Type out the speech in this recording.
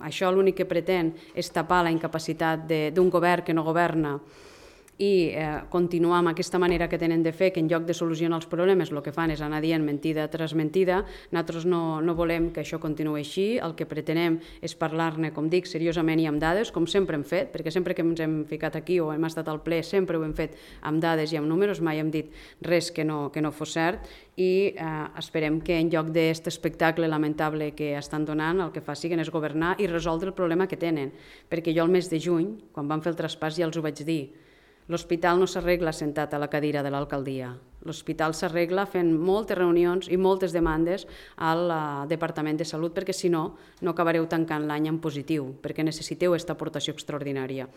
Això l'únic que pretén és tapar la incapacitat d'un govern que no governa i continuar amb aquesta manera que tenen de fer, que en lloc de solucionar els problemes el que fan és anar dient mentida tras mentida. Nosaltres no volem que això continuï així, el que pretenem és parlar-ne, com dic, seriosament i amb dades, com sempre hem fet, perquè sempre que ens hem ficat aquí o hem estat al ple sempre ho hem fet amb dades i amb números, mai hem dit res que no fos cert, i esperem que en lloc d'aquest espectacle lamentable que estan donant, el que facin és governar i resoldre el problema que tenen, perquè jo el mes de juny, quan vam fer el traspàs, ja els ho vaig dir, l'hospital no s'arregla sentat a la cadira de l'alcaldia. L'hospital s'arregla fent moltes reunions i moltes demandes al Departament de Salut, perquè si no, no acabareu tancant l'any en positiu, perquè necessiteu aquesta aportació extraordinària.